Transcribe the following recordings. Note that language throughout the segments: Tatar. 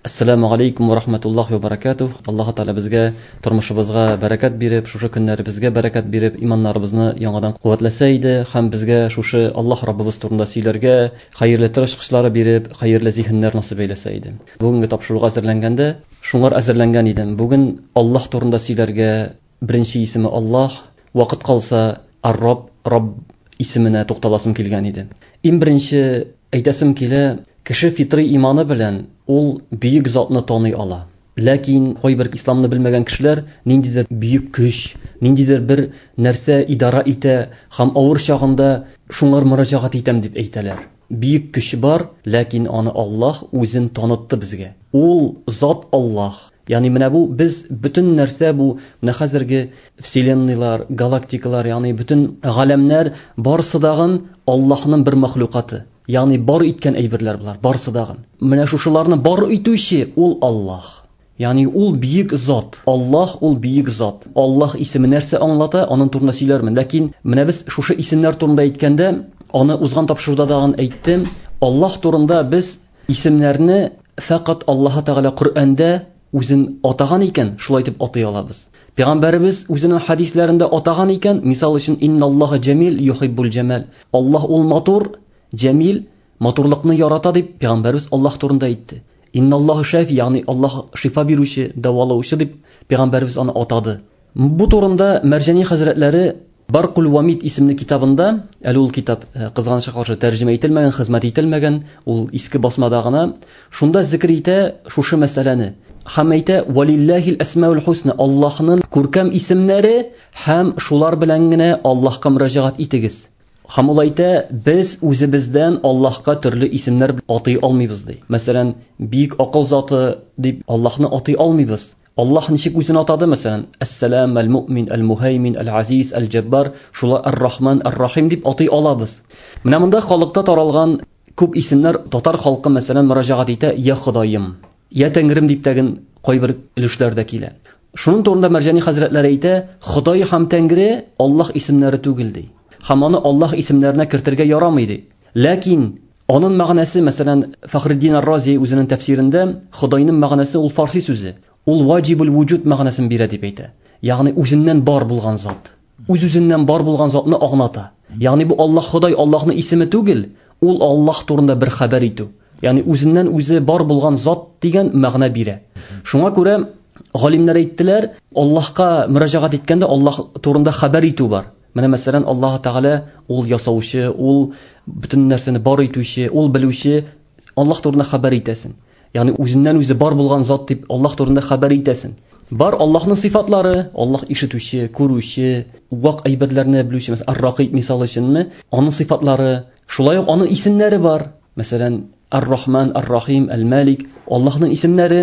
Ассаламу алейкум ва рахматуллахи ва баракатух. Аллаһ Тәгалә безгә тормышыбызга бәрәкәт биреп, шушы көннәребезгә бәрәкәт биреп, иманнарыбызны яңадан куәтләсә иде һәм безгә шушы Аллаһ Раббыбыз турында сөйләргә хәерле тырышкычлары биреп, хәерле зиһеннәр насыйп әйләсә иде. Бүгенге тапшыруга әзерләнгәндә шуңар әзерләнгән идем. Бүген Аллаһ турында сөйләргә беренче исеме Аллаһ, вакыт калса Ар-Рабб, Рабб исеменә тукталасым килгән иде. Иң беренче әйтәсем килә, кеше фитри иманы белән ул бөек затны таный ала. Ләкин кайбер исламны белмәгән кешеләр ниндидер бөек көч, ниндидер бер нәрсә идара итә һәм авыр чагында шуңар мөрәҗәгать итәм дип әйтәләр. Бөек көч бар, ләкин аны Аллаһ үзен танытты безгә. Ул зат Аллаһ. Ягъни менә бу без бөтен нәрсә бу менә хәзерге вселенныйлар, галактикалар, ягъни бөтен галәмнәр барысы дагын Аллаһның бер махлукаты. Ягъни бар иткән әйберләр болар, барысы дагын. Менә шушыларны бар итүче ул Аллаһ. Ягъни ул бөек зат. Аллаһ ул бөек зат. Аллаһ исеме нәрсә аңлата, аның турында сөйләрмен. Ләкин менә без шушы исемнәр турында әйткәндә, аны узган тапшыруда дагын әйттем. Аллаһ турында без исемнәрне фәкать Аллаһ Тәгалә Коръәндә үзен атаган икән, шулай итеп атый алабыз. Пәйгамбәребез үзенең хадисләрендә атаган икән, мисал өчен инналлаһа җәмил юхиббул җәмал. Аллаһ ул матур, җәмил, матурлыкны ярата дип пәйгамбәребез Аллаһ турында әйтте. Инналлаһу шафи, ягъни Аллаһ шифа бирүче, дәвалаучы дип пәйгамбәребез аны атады. Бу турында Мәрҗани хәзрәтләре Баркул Вамид исемле китабында, әле ул китап кызганычка каршы тәрҗемә ителмәгән, хезмәт ителмәгән, ул иске басмада гына, шунда зикр итә шушы мәсьәләне. Һәм әйтә, Валиллахил әсмаул хусна, Аллаһның күркәм исемнәре һәм шулар белән генә Аллаһка мөрәҗәгать итегез. Һәм ул әйтә, без үзебездән Аллаһка төрле исемнәр атый алмыйбыз ди. Мәсәлән, бик акыл заты дип Аллаһны атый алмыйбыз. Аллаһ ничек үзен атады, мәсәлән, Әс-Сәлам, Әл-Муъмин, Әл-Муһаймин, Әл-Азиз, Әл-Җәббар, шулай Ар-Рахман, Ар-Рахим дип атый алабыз. Менә монда халыкта таралган күп исемнәр татар халкы, мәсәлән, мөрәҗәгать итә, Я Ходаем, Я Тәңрем дип тәген кайбер өлешләрдә килә. Шуның турында Мәрҗани хәзрәтләре әйтә, Ходай һәм Тәңре Аллаһ исемнәре түгел ди. Һәм аны Аллаһ исемнәренә кертергә ярамый ди. Ләкин аның мәгънәсе, мәсәлән, Фәхретдин ар-Рази үзенең тәфсирендә Ходайның мәгънәсе ул фарси сүзе. Ул ваҗибул вуҗуд мәгънәсен бирә дип әйтә. Ягъни үзеннән бар булган зат. Үз-үзеннән бар булган затны аңлата. Ягъни бу Аллаһ Ходай Аллаһның исеме түгел, ул Аллаһ турында бер хәбәр итү. Ягъни үзеннән үзе бар булган зат дигән мәгънә бирә. Шуңа күрә галимнәр әйттеләр, Аллаһка мөрәҗәгать иткәндә Аллаһ турында хәбәр итү бар. Менә мәсәлән, Аллаһ Тәгалә ул ясаучы, ул бөтен нәрсәне бар итүче, ул белүче, Аллаһ турында хәбәр итәсен. Ягъни үзеннән үзе бар булган зат дип Аллаһ турында хәбәр итәсен. Бар Аллаһның сыйфатлары, Аллаһ ишетүче, күрүче, вак әйберләрне белүче, мәсәлән, Ар-Ракыйб мисал өченме, аның сыйфатлары, шулай ук аның исемнәре бар. Мәсәлән, Ар-Рахман, Ар-Рахим, Әл-Малик, Аллаһның исемнәре.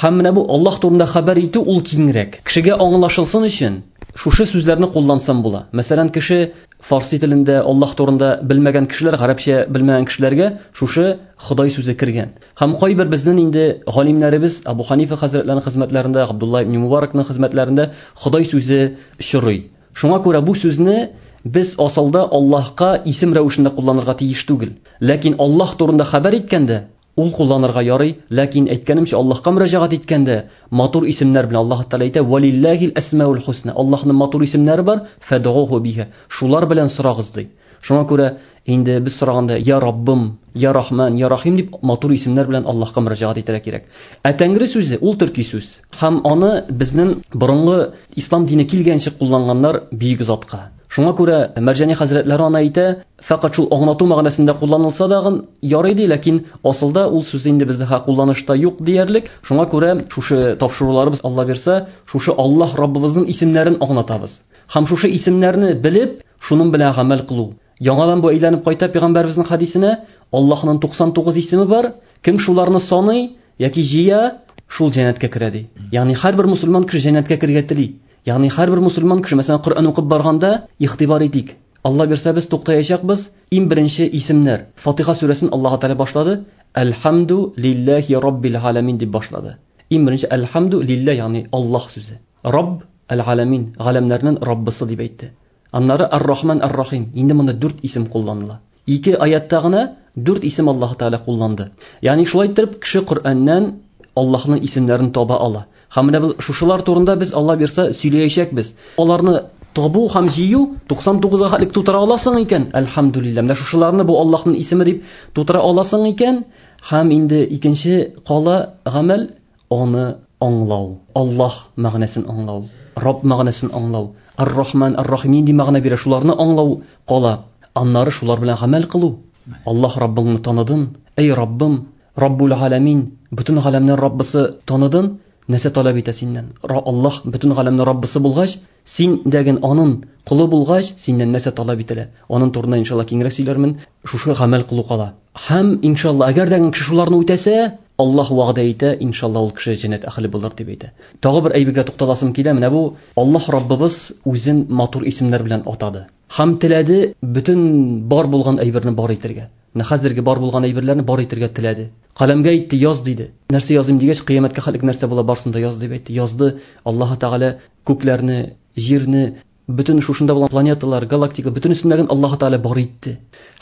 Һәм менә бу Аллаһ турында хәбәр итү ул киңрәк. Кешегә аңлашылсын өчен шушы сүзләрне куллансам була. Мәсәлән, кеше фарси телендә Аллаһ турында белмәгән кешеләр, гарәпчә белмәгән кешеләргә шушы Ходай сүзе кергән. Һәм кайбер безнең инде галимнәребез Абу Ханифа хәзрәтләренең хезмәтләрендә, Габдулла ибн Мубаракның хезмәтләрендә Ходай сүзе очрый. Шуңа күрә бу сүзне без асылда Аллаһка исем рәвешендә кулланырга тиеш түгел. Ләкин Аллаһ турында хәбәр иткәндә ул кулланырга ярый, ләкин әйткәнемчә, Аллаһка мөрәҗәгать иткәндә матур исемнәр белән Аллаһ Тәгалә әйтә, Валиллахил әсмаул хусна. Аллаһның матур исемнәре бар, фәдгуху биха. Шулар белән сорагыз ди. Шуңа күрә инде без сораганда я Раббым, я Рахман, я Рахим дип матур исемнәр белән Аллаһка мөрәҗәгать итәргә кирәк. Ә Тәңре сүзе ул төрки сүз. Һәм аны безнең борынгы ислам дине килгәнче кулланганнар бөек затка. Шуңа күрә Мәрҗани хәзрәтләре аны әйтә, фәкать шул аңлату мәгънәсендә кулланылса дагын ярый ди, ләкин асылда ул сүз инде бездә кулланышта юк диярлек. Шуңа күрә шушы тапшыруларыбыз Алла бирсә, шушы Аллаһ Раббыбызның исемнәрен аңлатабыз. Һәм шушы исемнәрне белеп, шуның белән гамәл кылу. Яңадан бу әйләнеп кайта пәйгамбәребезнең хадисенә, Аллаһның 99 исеме бар, кем шуларны саный яки җыя, шул җәннәткә керә ди. Ягъни һәрбер мусульман кеше җәннәткә керергә тели. Ягъни һәрбер мусульман кеше, мәсәлән, Коръән укып барганда игътибар итик. Алла бирсә без туктаячакбыз. Иң беренче исемнәр. Фатиха сүрәсен Аллаһ Тәгалә башлады. Әлхамду лиллахи раббил аламин дип башлады. Иң беренче әлхамду лилла, ягъни Аллаһ сүзе. Рабб әл-аламин, галәмнәрнең Раббысы дип әйтте. Аннары Ар-Рахман Ар-Рахим. Инде монда дүрт исем кулланыла. Ике аятта гына дүрт исем Аллаһ Тәгалә кулланды. Ягъни шулай итеп кеше Коръәннән Аллаһның исемнәрен таба ала. Һәм менә без шушылар турында без Алла бирсә сөйләячәкбез. Аларны табу һәм җыю 99-га хәтлек тутыра аласың икән, әлхәмдүлилләһ. Менә шушыларны бу Аллаһның исеме дип тутыра аласың икән, һәм инде икенче кала гамәл аны аңлау. Аллаһ мәгънәсен аңлау, Рабб мәгънәсен аңлау, Ар-Рахман, Ар-Рахим нинди мәгънә бирә, шуларны аңлау кала. Аннары шулар белән гамәл кылу. Аллаһ Раббыңны таныдын, эй Раббым, Раббул Галәмин, бөтен галәмнең Раббысы таныдын, нәрсә таләп итә синнән? Аллаһ бөтен галәмнең Раббысы булгач, син дәген анын колы булгач, синнән нәрсә таләп ителә? Анын турында иншалла киңрәк сөйләрмен. Шушы гамәл кылу кала. Һәм иншалла, әгәр дә кеше шуларны үтәсә, Аллаһ вәгъдә итә, иншалла ул кеше җәннәт әһеле булыр дип әйтә. Тагы бер әйбергә тукталасым килә, менә бу Аллаһ Раббыбыз үзен матур исемнәр белән атады. Һәм теләде бөтен бар булган әйберне бар итәргә. Менә хәзерге бар булган әйберләрне бар итәргә теләде. Каләмгә әйтте, яз диде. Нәрсә языйм дигәч, кыямәткә хәтлек нәрсә була барсын да яз дип әйтте. Язды. Аллаһ Тәгалә күкләрне, җирне, бөтен шушында булган планеталар, галактика, бөтенесендәген Аллаһ Тәгалә бар итте.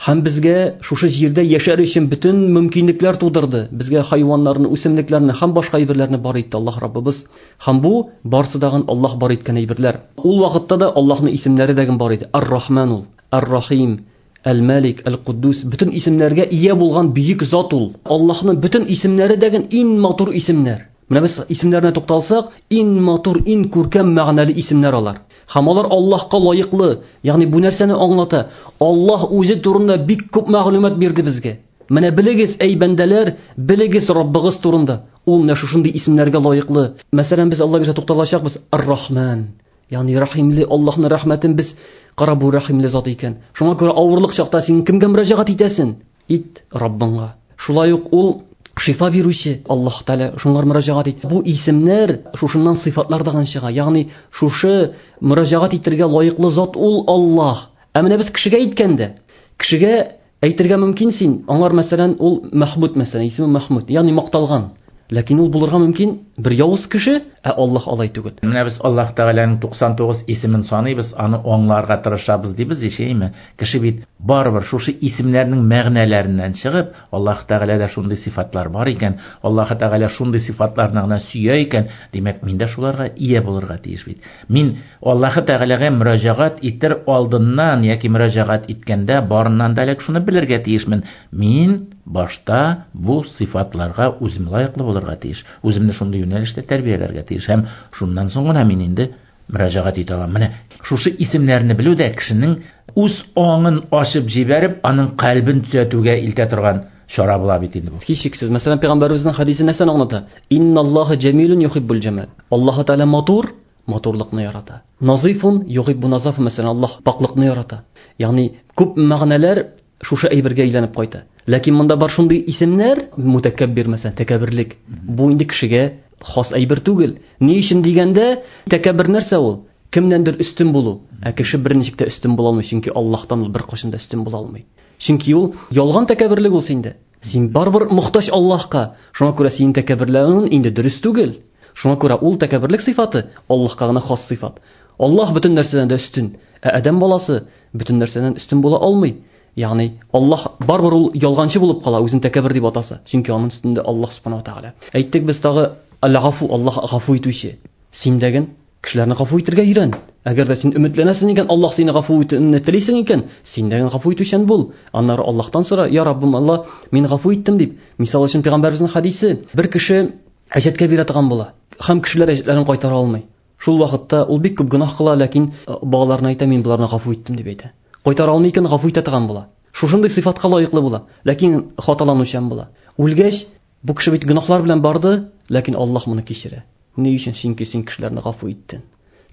Һәм безгә шушы җирдә яшәр өчен бөтен мөмкинлекләр тудырды. Безгә хайваннарны, үсемлекләрне һәм башка әйберләрне бар итте Аллаһ Раббыбыз. Һәм бу барсы дагын Аллаһ бар иткән әйберләр. Ул вакытта да Аллаһның исемнәре дәген бар иде. Ар-Рахман ул, Ар-Рахим, Әл-Малик, Әл-Куддус, бөтен исемнәргә ия булган бөек зат ул. Аллаһның бөтен исемнәре дәген иң матур исемнәр. Менә без исемнәренә тукталсак, иң матур, иң күркәм мәгънәле исемнәр алар. Һәм алар Аллаһка лаеклы. Ягъни бу нәрсәне аңлата? Аллаһ үзе турында бик күп мәгълүмат бирде безгә. Менә белегез, әй бәндәләр, белегез Раббыгыз турында. Ул менә шушындый исемнәргә лаеклы. Мәсәлән, без Алла бирсә тукталачакбыз Ар-Рахман. Ягъни рәхимле Аллаһның рәхмәтен без кара бу рәхимле зат икән. Шуңа күрә авырлык чакта син кемгә мөрәҗәгать итәсең? Ит Раббыңа. Шулай ук ул шифа бирүче Аллаһ Тәгалә, шуңар мөрәҗәгать ит. Бу исемнәр шушыннан сыйфатлар даган чыга. Ягъни шушы мөрәҗәгать итәргә лаеклы зат ул Аллаһ. Ә менә без кешегә әйткәндә, кешегә әйтергә мөмкин син, аңар мәсәлән ул Мәхмүд мәсәлән, исеме Мәхмүд, ягъни макталган. Ләкин ул булырга мөмкин бер явыз кеше, ә Аллаһ алай түгел. Менә без Аллаһ Тәгаләнең 99 исемен саныйбыз, аны аңларга тырышабыз дибез ишәйме? Кеше бит барыбер шушы исемнәрнең мәгънәләреннән чыгып, Аллаһ Тәгаләдә шундый сыйфатлар бар икән, Аллаһ Тәгалә шундый сыйфатларны гына сөя икән, димәк, мин дә шуларга ия булырга тиеш бит. Мин Аллаһ Тәгаләгә мөрәҗәгать итер алдыннан яки мөрәҗәгать иткәндә барыннан да элек шуны белергә тиешмен. Мин башта бу сыйфатларга үзем лаеклы булырга тиеш. Үземне шундый юнәлештә тәрбияләргә тиеш һәм шуннан соң гына мин инде мөрәҗәгать итә алам. Менә шушы исемнәрне белү дә кешенең үз аңын ачып җибәреп, аның кальбен төзәтүгә илтә торган чара була бит инде бу. Һичшиксез. Мәсәлән, пәйгамбәребезнең хәдисе нәрсәне аңлата? Инналлаһа җәмилун юхиббул җәмал. Аллаһ Тәгалә матур, матурлыкны ярата. Назифун юхиббу назафа, мәсәлән, Аллаһ пакълыкны ярата. Ягъни күп мәгънәләр шушы әйбергә әйләнеп кайта. Ләкин монда бар шундый исемнәр, мутәкәббир мәсәлән, тәкәбберлек. Бу инде кешегә хас әйбер түгел. Ни өчен дигәндә, тәкәббер нәрсә ул? Кемнәндер өстен булу. Ә кеше берничек тә өстен була алмый, чөнки Аллаһтан ул беркайчан да өстен була алмый. Чөнки ул ялган тәкәбберлек ул синдә. Син барыбер мохтаҗ Аллаһка. Шуңа күрә синең тәкәбберләнүең инде дөрес түгел. Шуңа күрә ул тәкәбберлек сыйфаты Аллаһка гына хас сыйфат. Аллаһ бөтен нәрсәдән дә өстен, ә адәм баласы бөтен нәрсәдән өстен була алмый. Ягъни Аллаһ барыбер ул ялганчы булып кала, үзен тәкәббер дип атаса. Чөнки аның өстендә Аллаһ субхана ва тааля. Әйттек без тагы Аль-Гафу, Аллаһ гафу итүче. Син дәген кешеләрне гафу итәргә өйрән. Әгәр дә син өметләнәсең икән, Аллаһ сине гафу итүне телисең икән, син дәген гафу итүчән бул. Аннары Аллаһтан сора, я Раббым Аллаһ, мин гафу иттем дип. Мисал өчен пәйгамбәребезнең хәдисе, бер кеше әҗәткә бирә торган була. Һәм кешеләр әҗәтләрен кайтара алмый. Шул вакытта ул бик күп гөнаһ кыла, ләкин балаларына әйтә, мин боларны гафу иттем дип әйтә. Кайтара алмый икән, гафу итә торган була. Шушындый сыйфатка лаеклы була, ләкин хаталанучан була. Үлгәч, бу кеше бит гөнаһлар белән барды, ләкин Аллаһ моны кичерә. Ни өчен? Чөнки син кешеләрне гафу иттең.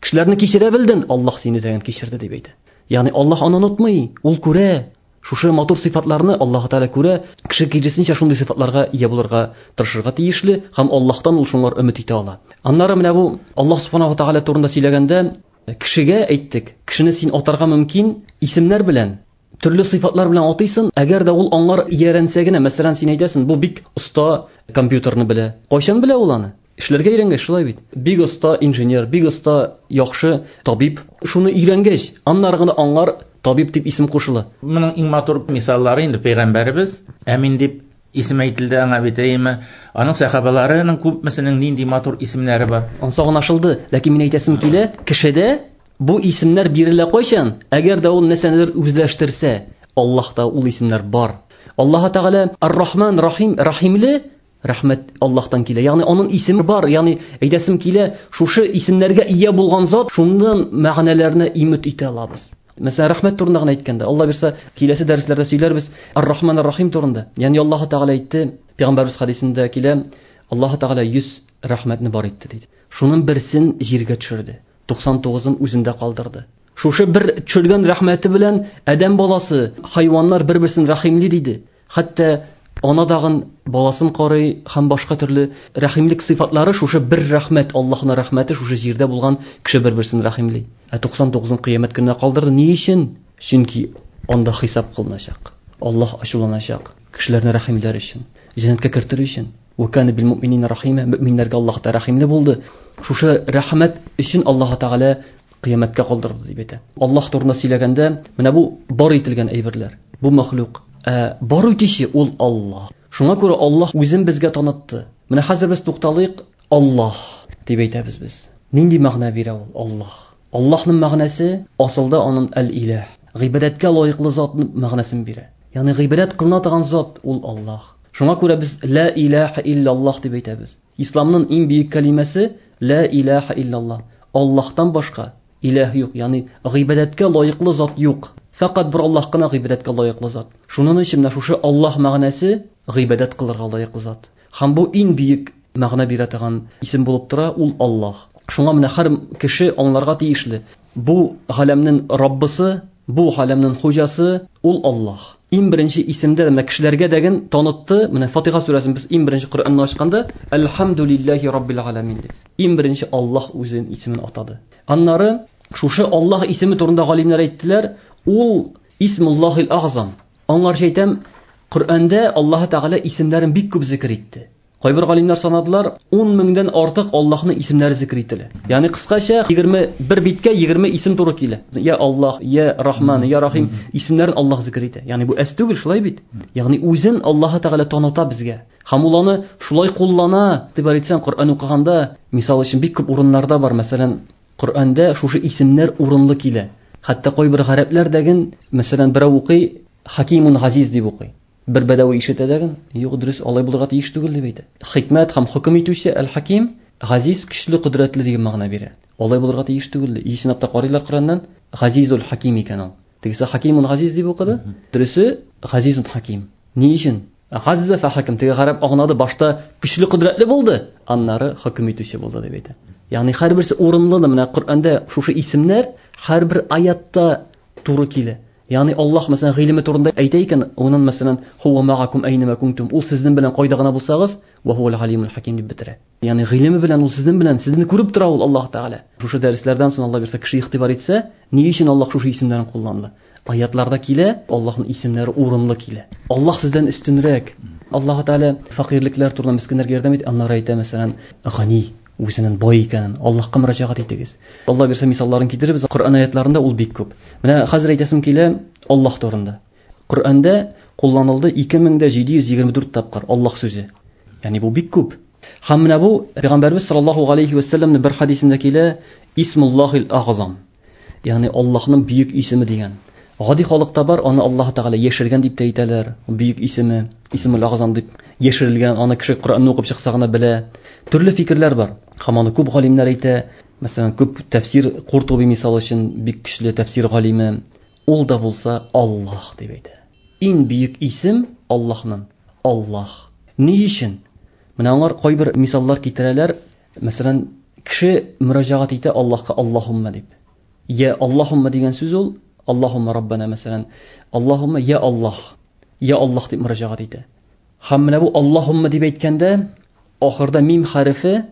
Кешеләрне кичерә белдең, Аллаһ сине дә кичерде дип әйтә. Ягъни Аллаһ аны онытмый, ул күрә. Шушы матур сыйфатларны Аллаһ Тәгалә күрә, кеше киресенчә шундый сыйфатларга ия булырга тырышырга тиешле һәм Аллаһтан ул шуңар өмет итә ала. Аннары менә бу Аллаһ Субханаһу Тәгалә турында сөйләгәндә, кешегә әйттек, кешене син атарга мөмкин исемнәр белән, төрле сыйфатлар белән атыйсың, әгәр дә ул аңар иярәнсә генә, мәсәлән, син әйтәсең, бу бик оста компьютерны белә. Кайчан белә ул аны? Эшләргә өйрәнгәч, шулай бит. Бик оста инженер, бик оста яхшы табиб. Шуны өйрәнгәч, аннары гына аңар табиб дип исем кушыла. Моның иң матур мисаллары инде пәйгамбәребез Әмин дип исем әйтелде аңа бит, әйеме? Аның сәхабаларының күпмесенең нинди матур исемнәре бар. Ансы аңлашылды, ләкин мин әйтәсем килә, кешедә бу исемнәр бирелә кайчан? Әгәр дә ул нәрсәнедер үзләштерсә, Аллаһта ул исемнәр бар. Аллаһ Тәгалә Ар-Рахман, Рахим, Рахимле, рәхмәт Аллаһтан килә. Ягъни аның исеме бар, ягъни әйтәсем килә, шушы исемнәргә ия булган зат, шуннан мәгънәләрне имет итә алабыз. Мәсәлән, рәхмәт турында гына әйткәндә, Алла бирсә, киләсе дәресләрдә сөйләрбез Ар-Рахман Ар-Рахим турында. Ягъни Аллаһ Тәгалә әйтте, Пәйгамбәрбез хадисендә килә, Аллаһ Тәгалә 100 рәхмәтне бар итте диде. Шуның берсен җиргә төшерде, 99-ын үзендә калдырды. Шушы бер төшергән рәхмәте белән адәм баласы, хайваннар бер-берсен рәхимли диде. Хәтта ана дагын баласын карый һәм башка төрле рәхимлек сыйфатлары шушы бер рәхмәт, Аллаһның рәхмәте шушы җирдә булган кеше бер-берсен рәхимли. Ә 99-ын кыямәт көненә калдырды. Ни өчен? Чөнки анда хисап кылыначак. Аллаһ ачуланачак кешеләрне рәхимләр өчен, җәннәткә кертер өчен. Ва кана бил муъминина рахима, мөминнәргә Аллаһ та рәхимле булды. Шушы рәхмәт өчен Аллаһ Тәгалә кыямәткә калдырды дип әйтә. Аллаһ турында сөйләгәндә, менә бу бар ителгән әйберләр, бу мәхлук. Ә бар итүче ул Аллаһ. Шуңа күрә Аллаһ үзен безгә танытты. Менә хәзер без тукталыйк, Аллаһ дип әйтәбез без. Нинди мәгънә бирә ул Аллаһ? Аллаһның мәгънәсе асылда аның әл-иләһ, гыйбадәткә лаеклы зат мәгънәсен бирә. Ягъни гыйбадәт кылына торган зат ул Аллаһ. Шуңа күрә без ла илаһа иллаллаһ дип әйтәбез. Исламның иң бөек кәлимәсе ла илаһа иллаллаһ. Аллаһтан башка иләһ юк, ягъни гыйбадәткә лаеклы зат юк. Фәкать бер Аллаһ кына гыйбадәткә лаеклы зат. Шуның өчен менә шушы Аллаһ мәгънәсе гыйбадәт кылырга лаеклы зат. Һәм бу иң бөек мәгънә бирә торган исем булып тора, ул Аллаһ. Шуңа менә һәр кеше аңларга тиешле. Бу галәмнең Раббысы, бу галәмнең хуҗасы ул Аллаһ. Иң беренче исемдә менә кешеләргә дәген танытты. Менә Фатиха сүрәсен без иң беренче Коръәнне ачканда Әлхәмдүлилләһи раббил галәмин дип. Иң беренче Аллаһ үзенең исемен атады. Аннары шушы Аллаһ исеме турында галимнәр әйттеләр, ул Исмуллаһил Агзам. Аңарча әйтәм, Коръәндә Аллаһ Тәгалә исемнәрен бик күп зикер итте. Кайбер галимнәр санадылар, 10 меңдән артык Аллаһның исемнәре зикер ителә. Ягъни кыскача 21 биткә 20 исем туры килә. Я Аллаһ, я Рахман, я Рахим исемнәрен Аллаһ зикер итә. Ягъни бу әз түгел, шулай бит? Ягъни үзен Аллаһ Тәгалә таныта безгә. Һәм ул аны шулай куллана, дип әйтсәң, Коръән укыганда, мисал өчен, бик күп урыннарда бар, мәсәлән, Коръәндә шушы исемнәр урынлы килә. Хәтта кайбер гарәпләр дәген, мәсәлән, берәү укый, Хакимун Газиз дип укый. Бер бәдәви ишетә дәген, юк, дөрес, алай булырга тиеш түгел дип әйтә. Хикмәт һәм хөкем итүче Әл-Хаким, Газиз көчле, кодрәтле дигән мәгънә бирә. Алай булырга тиеш түгел. И чынлап та карыйлар Коръәннән, Газизул Хаким икән ул. Тегесе Хакимун Газиз дип укыды. Дөресе Газизун Хаким. Ни өчен? Газза фә хаким. Теге гарәп аңлады, башта көчле, кодрәтле булды, аннары хөкем итүче булды дип әйтә. Ягъни һәрберсе урынлы да, менә Коръәндә шушы исемнәр һәрбер аятта туры килә. Ягъни Аллаһ мәсәлән гыйлеме турында әйтә икән, унын мәсәлән хуа магакум әйнәмә кунтум, ул сезнең белән кайда гына булсагыз, ва хуал галимул хаким дип бетерә. Ягъни гыйлеме белән ул сезнең белән, сезне күреп тора ул Аллаһ Тәгалә. Шушы дәресләрдән соң Алла бирсә кеше игътибар итсә, ни өчен Аллаһ шушы исемнәрен кулланды? Аятларда килә, Аллаһның исемнәре урынлы килә. Аллаһ сездән өстенрәк. Аллаһ Тәгалә фәкыйрьлекләр турында мескеннәргә ярдәм итә, аннары әйтә, мәсәлән, гани, үзенең бай икәнен, Аллаһка мөрәҗәгать итегез. Алла бирсә мисалларын китерербез, Коръән аятларында ул бик күп. Менә хәзер әйтәсем килә Аллаһ турында. Коръәндә кулланылды 2724 тапкыр Аллаһ сүзе. Ягъни бу бик күп. Һәм менә бу Пәйгамбәрбез саллаллаһу алейхи ва сәлләмнең бер хадисендә килә, Исмуллаһил агзам. Ягъни Аллаһның бөек исеме дигән. Гади халыкта бар, аны Аллаһ Тәгалә яшергән дип тә әйтәләр. Бөек исеме, Исмул агзам дип яшерелгән, аны кеше Коръәнне укып чыкса гына белә. Төрле фикерләр бар. Һәм аны күп галимнәр әйтә. Мәсәлән, күп тәфсир Куртуби мисал өчен бик көчле тәфсир галиме. Ул да булса Аллаһ дип әйтә. Иң бөек исем Аллаһның Аллаһ. Ни өчен? Менә аңар кайбер мисаллар китерәләр. Мәсәлән, кеше мөрәҗәгать итә Аллаһка Аллаһумма дип. Я Аллаһумма дигән сүз ул Аллаһумма Раббана мәсәлән, Аллаһумма я Аллаһ. Я Аллаһ дип мөрәҗәгать итә. Һәм менә бу Аллаһумма дип әйткәндә, ахырда мим хәрефе,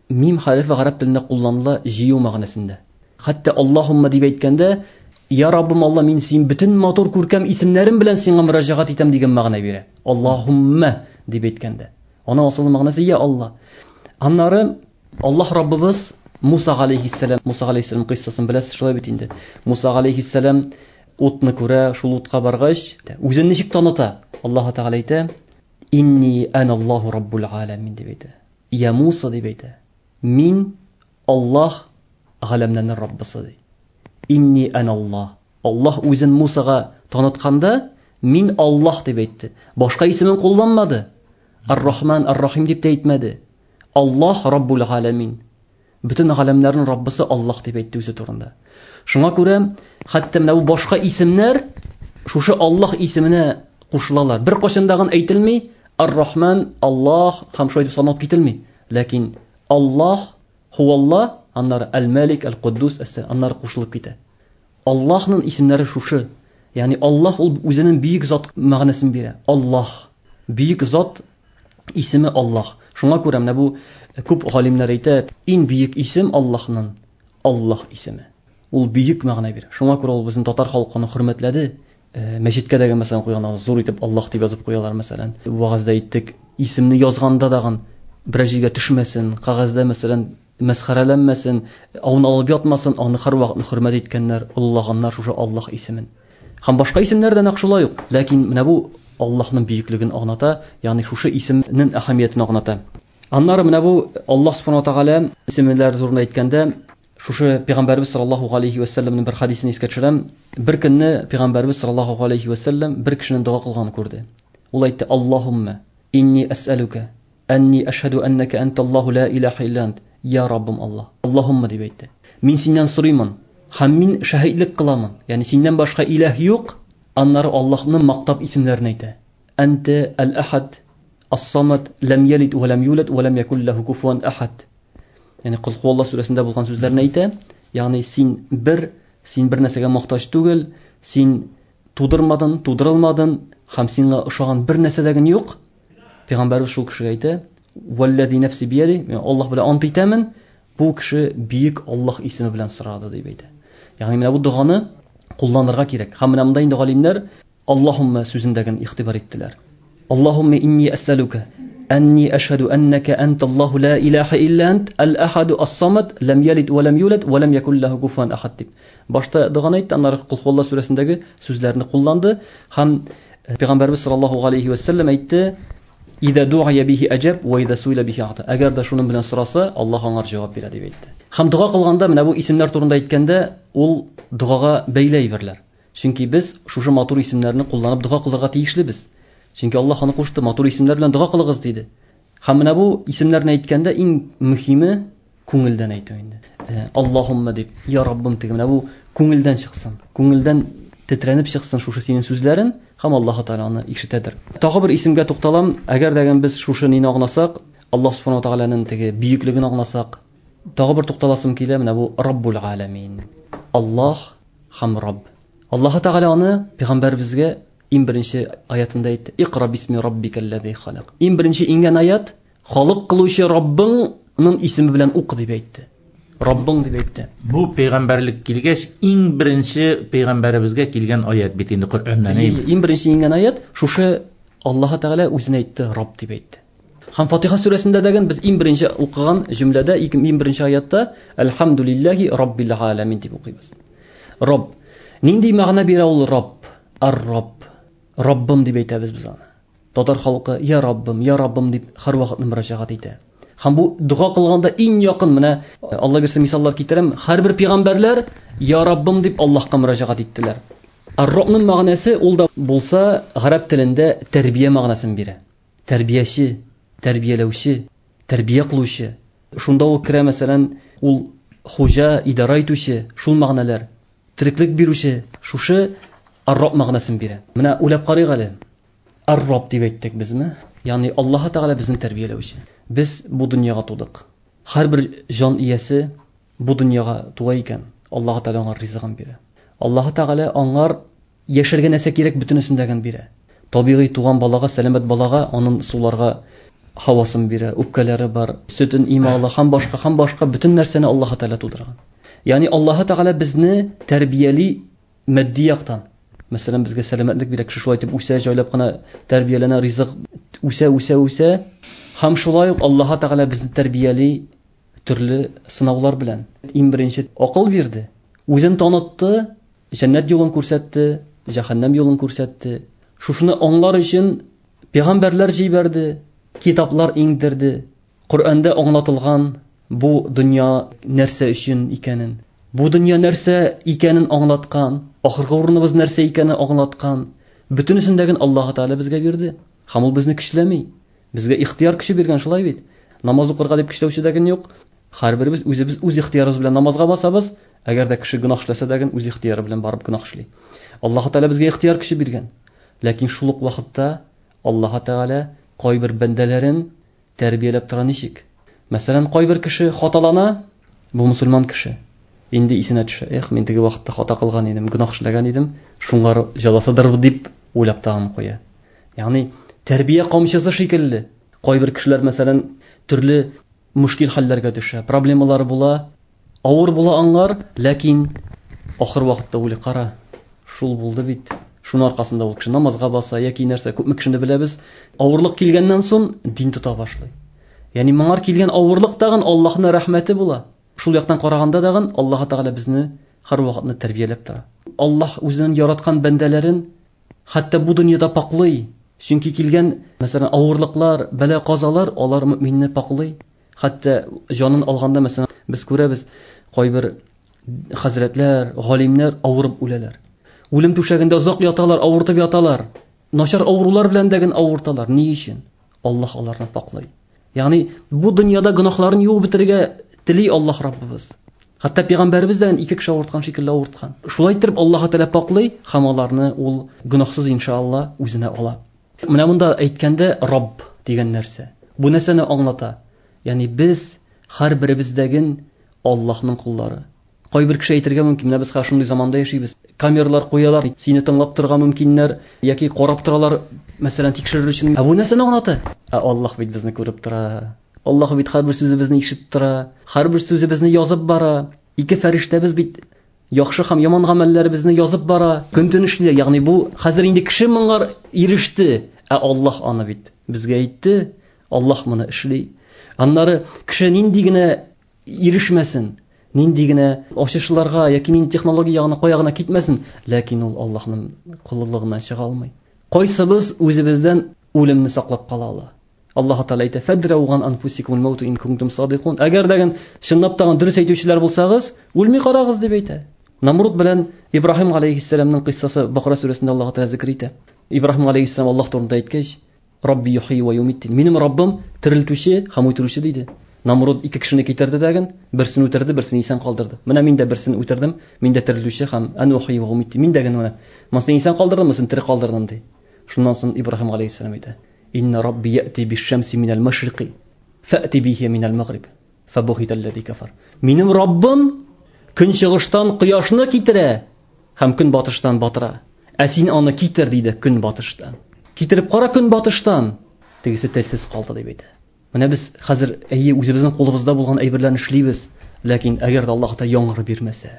мим хәрефе гарәп телендә кулланыла җыю мәгънәсендә. Хәтта Аллаһумма дип әйткәндә, Я Раббым Алла, мин син бөтен матур күркәм исемнәрем белән сиңа мөрәҗәгать итәм дигән мәгънә бирә. Аллаһумма дип әйткәндә. Аның асыл мәгънәсе я Алла. Аннары Аллаһ Раббыбыз Муса галәйһиссәлам, Муса галәйһиссәлам кыйссасын беләсез шулай бит инде. Муса галәйһиссәлам утны күрә, шул утка баргач, үзен ничек таныта? Аллаһ Тәгалә әйтә: Инни аналлаху раббул аламин дип әйтә. Я Муса дип әйтә. Мин Аллаһ галәмнәрнең Раббысы ди. Инни аналлах. Аллаһ үзен Мусага танытканда, мин Аллаһ дип әйтте. Башка исемен кулланмады. Ар-Рахман, Ар-Рахим дип тә әйтмәде. Аллаһ Раббул галәмин. Бөтен галәмнәрнең Раббысы Аллаһ дип әйтте үзе турында. Шуңа күрә хәтта менә бу башка исемнәр шушы Аллаһ исеменә кушылалар. Бер кайчан дагын әйтелми Ар-Рахман, Аллаһ һәм шулай дип санап кителми. Ләкин Аллаһ, Хуаллаһ, аннары Әл-Малик, Әл-Куддус, аннары кушылып китә. Аллаһның исемнәре шушы. Ягъни Аллаһ ул үзенең бөек зат мәгънәсен бирә. Аллаһ, бөек зат исеме Аллаһ. Шуңа күрә менә бу күп галимнәр әйтә, иң бөек исем Аллаһның Аллаһ исеме. Ул бөек мәгънә бирә. Шуңа күрә ул безнең татар халкы аны хөрмәтләде. Мәчеткә дә мәсәлән куйган, зур итеп Аллаһ дип язып куялар мәсәлән. Вагазда әйттек, исемне язганда дагын берәр җиргә төшмәсен, кәгазьдә мәсәлән мәсхәрәләнмәсен, ауны алып ятмасын, аны һәрвакыт хөрмәт иткәннәр, олылаганнар шушы Аллаһ исемен. Һәм башка исемнәр дә нәкъ шулай ук. Ләкин менә бу Аллаһның бөеклеген аңлата, ягъни шушы исемнең әһәмиятен аңлата. Аннары менә бу Аллаһ субхана ва тааля исемнәре турында әйткәндә, шушы пәйгамбәрбез саллаллаһу алейхи ва сәлләмнең бер хадисен искә төшерәм. Бер көнне пәйгамбәрбез саллаллаһу алейхи ва сәлләм бер кешенең дога кылганын күрде. Ул әйтте: "Аллаһумма инни әсәлүкә әнни әшһәду әннәкә анталлаһу ла илаһа илля ант." Я Раббым Аллаһ. Аллаһумма дип әйтте. Мин синнән сорыймын һәм мин шаһидлек кыламын. Ягъни синнән башка илаһ юк. Аннары Аллаһның мактап исемнәрен әйтә. Анта аль-ахад, ас-самад, лам ялид ва лам юлад ва лам якул лаху куфуан ахад. Ягъни Кул хуаллаһ сүрәсендә булган сүзләрне әйтә. Ягъни син бер, син бер нәрсәгә мохтаҗ түгел, син тудырмадың, тудырылмадың һәм сиңа ошаган бер нәрсә дә юк. Пәйгамбәрбез шул кешегә әйтә: "Валлази нафси бияди", мин Аллаһ белән ант итәмен, бу кеше бөек Аллаһ исеме белән сорады дип әйтә. Ягъни менә бу доганы кулланырга кирәк. Һәм менә монда инде галимнәр Аллаһумма сүзендәген игътибар иттеләр. Аллаһумма инни әсәлүкә әнни әшһәду әннәкә анталлаһу ла илаһа илля ант аль-ахаду ас-самад лам ялид ва лам юлад ва лам якул лаху куфуан ахад дип. Башта доганы әйтте, аннары Кул хуаллаһ сүрәсендәге сүзләрне кулланды һәм Пәйгамбәрбез саллаллаһу алейхи ва сәлләм әйтте: "Иза ду'ия бихи аҗаб ва иза суила бихи ата". Әгәр дә шуның белән сораса, Аллаһ аңар җавап бирә дип әйтте. Һәм дога кылганда менә бу исемнәр турында әйткәндә, ул догага бәйле әйберләр. Чөнки без шушы матур исемнәрне кулланып дога кылырга тиешлебез. Чөнки Аллаһ аны кушты, матур исемнәр белән дога кылыгыз диде. Һәм менә бу исемнәрне әйткәндә иң мөһиме күңелдән әйтү инде. Аллаһумма дип, я Раббым дип, менә бу күңелдән чыксын. Күңелдән тетрәнеп чыксын шушы синең сүзләрен һәм Аллаһ Тәгалә аны ишетәдер. Тагы бер исемгә тукталам. Әгәр дә без шушы нине аңласак, Аллаһ Субхану Тәгаләнең теге бөеклеген аңласак, тагы бер тукталасым килә, менә бу Раббул Аламин. Аллаһ һәм Рабб. Аллаһ Тәгалә аны пәйгамбәребезгә иң беренче аятында әйтте. Икра бисми раббикаллази халак. Иң беренче иңгән аят халык кылучы Раббыңның исеме белән ук дип әйтте. Раббың дип әйтте. Бу пәйгамбәрлек килгәч, иң беренче пәйгамбәребезгә килгән аят бит инде Коръәннән. Иң беренче иңгән аят шушы Аллаһ Тәгалә үзенә әйтте, Рабб дип әйтте. Һәм Фатиха сүрәсендә дәген без иң беренче укыган җөмләдә, иң беренче аятта Әлхәмдүлилләһи раббил галәмин дип укыйбыз. Рабб. Нинди мәгънә бирә ул Рабб? Ар-Рабб. Раббым дип әйтәбез без аны. Татар халкы я Раббым, я Раббым дип һәрвакыт мөрәҗәгать итә. Һәм бу дога кылганда иң якын менә Алла бирсә мисаллар китерәм, һәрбер пәйгамбәрләр я Раббым дип Аллаһка мөрәҗәгать иттеләр. Ар-Раббның мәгънәсе ул да булса гарәп телендә тәрбия мәгънәсен бирә. Тәрбияче, тәрбияләүче, тәрбия кылучы. Шунда ук керә мәсәлән, ул хуҗа, идара итүче, шул мәгънәләр. Тереклек бирүче, шушы Ар-Рабб мәгънәсен бирә. Менә уйлап карыйк әле. Ар-Рабб дип әйттек безме? Ягъни Аллаһ Тәгалә безне тәрбияләүче. Без бу дөньяга тудык. Һәрбер җан иясе бу дөньяга туа икән, Аллаһ Тәгалә аңар ризыгын бирә. Аллаһ Тәгалә аңар яшәргә нәрсә кирәк бөтенесен дә бирә. Табигый туган балага, сәламәт балага аның суларга һавасын бирә, үпкәләре бар, сөтен имә ала һәм башка, һәм башка бөтен нәрсәне Аллаһ Тәгалә тудырган. Ягъни Аллаһ Тәгалә безне тәрбияли матди яктан. Мәсәлән, безгә сәламәтлек бирә, кеше шулай итеп үсә, җайлап кына тәрбияләнә, ризык үсә, үсә, үсә. Һәм шулай ук Аллаһ Тәгалә безне тәрбияли төрле сынаулар белән. Иң беренче акыл бирде, үзен танытты, җәннәт юлын күрсәтте, җәһәннәм юлын күрсәтте. Шушыны аңлар өчен Пәйгамбәрләр җибәрде, китаплар иңдерде. Коръәндә аңлатылган бу дөнья нәрсә өчен икәнен, бу дөнья нәрсә икәнен аңлаткан, ахыргы урыныбыз нәрсә икәнен аңлаткан. Бөтенесен дә Аллаһ Тәгалә безгә бирде. Һәм ул безне көчләми. Безгә ихтияр көче биргән, шулай бит. Намаз укырга дип көчләүче дә юк. Һәрберебез үзебез үз ихтиярыбыз белән намазга басабыз. Әгәр дә кеше гөнаһ эшләсә дә, үз ихтияры белән барып гөнаһ эшли. Аллаһ Тәгалә безгә ихтияр көче биргән. Ләкин шул ук вакытта Аллаһ Тәгалә кайбер бәндәләрен тәрбияләп тора ничек? Мәсәлән, кайбер кеше хаталана, бу мусульман кеше. Инде исенә төшә, эх, мин теге вакытта хата кылган идем, гөнаһ эшләгән идем, шуңар җәзасыдыр дип уйлап тагын куя. Ягъни тәрбия камчысы шикелле. Кайбер кешеләр, мәсәлән, төрле мөшкил хәлләргә төшә, проблемалары була, авыр була аңар, ләкин ахыр вакытта уйлый, кара, шул булды бит. Шуның аркасында ул кеше намазга баса яки нәрсә, күпме кешене беләбез, авырлык килгәннән соң дин тота башлый. Ягъни моңар килгән авырлык тагын Аллаһның рәхмәте була. Шул яктан караганда тагын Аллаһ Тәгалә безне һәр вакытны тәрбияләп тора. Аллаһ үзенең яраткан бәндәләрен хәтта бу дөньяда паклый. Чөнки килгән, мәсәлән, авырлыклар, бәла-казалар алар мөминне паклый. Хәтта җанын алганда, мәсәлән, без күрәбез, кайбер хәзрәтләр, галимнәр авырып үләләр. Үлем түшәгендә озак яталар, авыртып яталар. Начар авырулар белән дә генә авырталар. Ни өчен? Аллаһ аларны паклый. Ягъни бу дөньяда гөнаһларын юып бетерергә тели Аллаһ Раббыбыз. Хәтта пәйгамбәребез дә ике кеше авырткан шикелле авырткан. Шулай итеп Аллаһ Тәгалә паклый һәм аларны ул гөнаһсыз иншалла үзенә ала. Менә монда әйткәндә Рабб дигән нәрсә. Бу нәрсәне аңлата? Ягъни без һәрберебездәген Аллаһның куллары. Кайбер кеше әйтергә мөмкин, менә без хәзер шундый заманда яшибез. Камералар куялар, сине тыңлап торырга мөмкиннәр, яки карап торалар, мәсәлән, тикшерер өчен. Ә бу нәрсәне аңлата? Ә Аллаһ бит безне күреп тора. Аллаһ бит һәрбер сүзебезне ишетеп тора, һәрбер сүзебезне язып бара. Ике фәрештәбез бит яхшы һәм яман гамәлләребезне язып бара. Көн-төн эшли. Ягъни бу хәзер инде кеше моңар иреште, ә Аллаһ аны бит безгә әйтте, Аллаһ моны эшли. Аннары кеше нинди генә ирешмәсен, нинди генә ачышларга яки нинди технология ягына кая гына китмәсен, ләкин ул Аллаһның коллыгыннан чыга алмый. Кайсыбыз үзебездән үлемне саклап кала ала? Аллаһ Тәгалә әйтә: "Фадрау ган анфусикум маут ин кунтум садикун." Әгәр дә чынлап та дөрес әйтүчеләр булсагыз, үлми карагыз дип әйтә. Намруд белән Ибраһим алейһиссәламның кыйссасы Бакара сүрәсендә Аллаһ Тәгалә зикр итә. Ибраһим алейһиссәлам Аллаһ турында әйткәч, Рабби юхи ва юмит. Минем Раббым терелтүче һәм үтерүче диде. Намруд ике кешене китерде дәген, берсен үтерде, берсен исән калдырды. Менә мин дә берсен үтердем, мин дә терелтүче һәм ан юхи ва юмит. Мин дә генә менә монысын исән калдырдым, монысын тере калдырдым ди. Шуннан соң Ибраһим алейһиссәлам әйтә: Инна Рабби яти биш-шамси минәл машрикы, фәти бихи минәл магриб. Фабухитал лази кафар. Минем Раббым көнчыгыштан кояшны китерә һәм көнбатыштан батыра. Ә син аны китер диде көнбатыштан. Китереп кара көнбатыштан. Тегесе телсез калды дип әйтә. Менә без хәзер әйе үзебезнең кулыбызда булган әйберләрне эшлибез, ләкин әгәр дә Аллаһ Тәгалә яңгыр бирмәсә,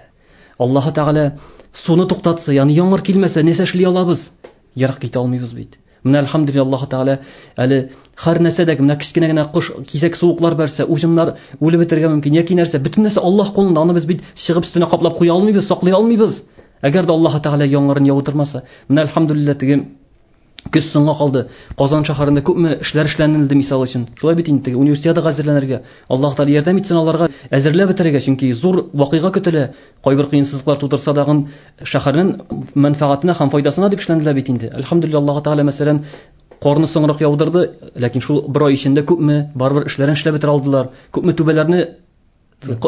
Аллаһ Тәгалә суны туктатса, ягъни яңгыр килмәсә, нәрсә эшли алабыз? Ерак китә алмыйбыз бит. Менә әлхәмдүлилләһ Аллаһ Тәгалә әле һәр нәрсәдә менә кечкенә генә кош кисәк суыклар бәрсә, уҗымнар үлеп бетәргә мөмкин яки нәрсә, бөтен нәрсә Аллаһ кулында, аны без бит чыгып өстенә каплап куя алмыйбыз, саклый алмыйбыз. Әгәр дә Аллаһ Тәгалә яңгырын яудырмаса, менә әлхәмдүлилләһ теге көз соңга калды. Казан шәһәрендә күпме эшләр эшләнелде мисал өчен. Шулай бит инде теге универсиадага әзерләнергә. Аллаһ Тәгалә ярдәм итсен аларга әзерләп бетерергә, чөнки зур вакыйга көтелә. Кайбер кыенсызлыклар тудырса дагын шәһәрнең мәнфәгатенә һәм файдасына дип эшләнелә бит инде. Әлхәмдүлилләһ Аллаһ Тәгалә мәсәлән карны соңрак яудырды, ләкин шул бер ай эчендә күпме барыбер эшләрен эшләп бетерә алдылар, күпме түбәләрне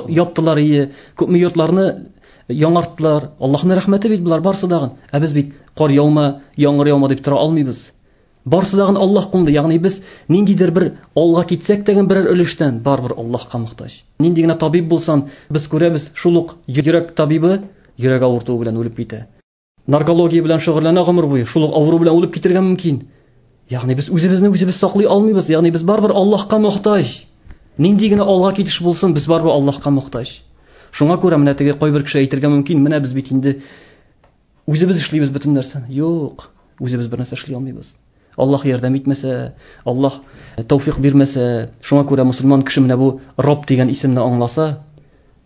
яптылар ие, күпме йортларны яңарттылар. Аллаһның рәхмәте бит болар барсы дагын. Ә без бит кар яума, яңгыр яума дип тора алмыйбыз. Барсы дагын Аллаһ кулында. Ягъни без ниндидер бер алга китсәк тә берәр өлештән барыбер Аллаһка мохтаҗ. Нинди генә табиб булсан, без күрәбез, шул ук йөрәк табибы йөрәк авыртуы белән үлеп китә. Наркология белән шөгыльләнә гомер буе, шул ук авыру белән үлеп китергә мөмкин. Ягъни без үзебезне үзебез саклый алмыйбыз. Ягъни без барыбер Аллаһка мохтаҗ. Нинди генә алга китеш булсын, без барыбер Аллаһка мохтаҗ. Шуңа күрә менә теге кайбер кеше әйтергә мөмкин, менә без бит инде үзебез эшлибез бөтен нәрсәне. Юк, үзебез бер нәрсә эшли алмыйбыз. Аллаһ ярдәм итмәсә, Аллаһ тәүфик бирмәсә, шуңа күрә мусульман кеше менә бу Рабб дигән исемне аңласа,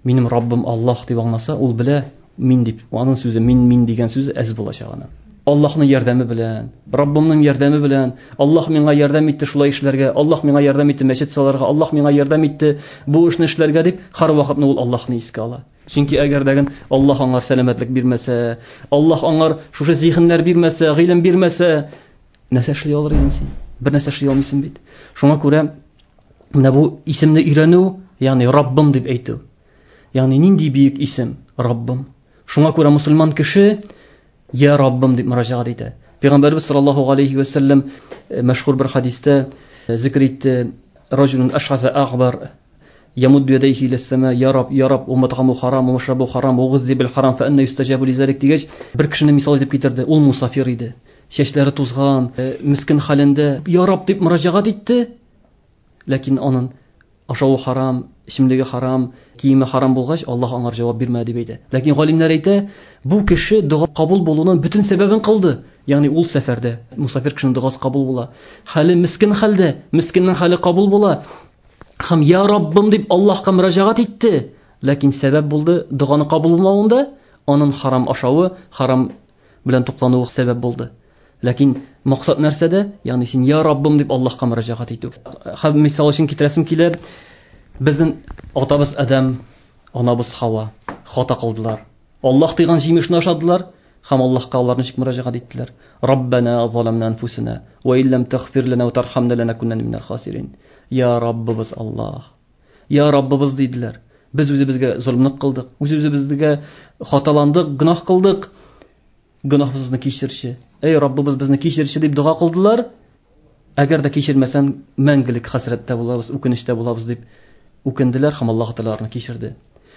минем Раббым Аллаһ дип аңласа, ул белә, мин дип, аның сүзе мин, мин дигән сүзе әз булачак аны. Аллаһның ярдәме белән, Раббымның ярдәме белән, Аллаһ миңа ярдәм итте шулай эшләргә, Аллаһ миңа ярдәм итте мәчет салырга, Аллаһ миңа ярдәм итте бу эшне эшләргә дип, һәрвакытны ул Аллаһны искә ала. Чөнки әгәр дә Аллаһ аңар сәламәтлек бирмәсә, Аллаһ аңар шушы зиһеннәр бирмәсә, гыйлем бирмәсә, нәрсә эшли алыр идең син? Бер нәрсә эшли алмыйсың бит. Шуңа күрә менә бу исемне өйрәнү, ягъни Раббым дип әйтү. Ягъни нинди бөек исем Раббым. Шуңа күрә мусульман кеше Я Раббым дип мөрәҗәгать итә. Пәйгамбәрбез саллаллаһу алейхи ва саллям мәшһүр бер хадистә зикр итте: "Раҗулун ашхаса агбар ямудду ядайхи иля сама, я Рабб, я Рабб, уматгаму харам, умашрабу харам, угыззи бил харам, фа анна юстаҗабу лизалик" дигәч, бер кешене мисал итеп китерде. Ул мусафир иде. Чәчләре тузган, мискин хәлендә Я Рабб дип мөрәҗәгать итте. Ләкин аның ашавы харам, эчемлеге харам, киеме харам булгач, Аллаһ аңар җавап бирмәде дип әйтә. Ләкин галимнәр әйтә, бу кеше дога кабул булуның бөтен сәбәбен кылды. Ягъни ул сәфәрдә мусафир кешенең догасы кабул була. Хәле мискин хәлдә, мискиннең хәле кабул була. Һәм я Раббым дип Аллаһка мөрәҗәгать итте. Ләкин сәбәп булды доганы кабул булмавында, аның харам ашавы, харам белән туклануы сәбәп булды. Ләкин максат нәрсәдә? Ягъни син я Раббым дип Аллаһка мөрәҗәгать итү. Һәм мисал өчен китерәсем килә, безнең атабыз Адәм, анабыз Хава хата кылдылар. Аллаһ тыйган җимешне ашадылар һәм Аллаһка алар ничек мөрәҗәгать иттеләр? Раббана заламна анфусана ва иллам тагфир лана ва тархамна ланакунанна минал хасирин. Я Раббыбыз Аллаһ. Я Раббыбыз диделәр. Без үзебезгә золымлык кылдык, үз-үзебезгә хаталандык, гөнаһ кылдык. Гөнаһыбызны кичерче. Эй Раббыбыз, безне кичерче дип дога кылдылар. Әгәр дә кичермәсәң, мәңгелек хәсрәттә булабыз, үкенечтә булабыз дип үкенделәр һәм Аллаһ Тәгалә аларны кичерде.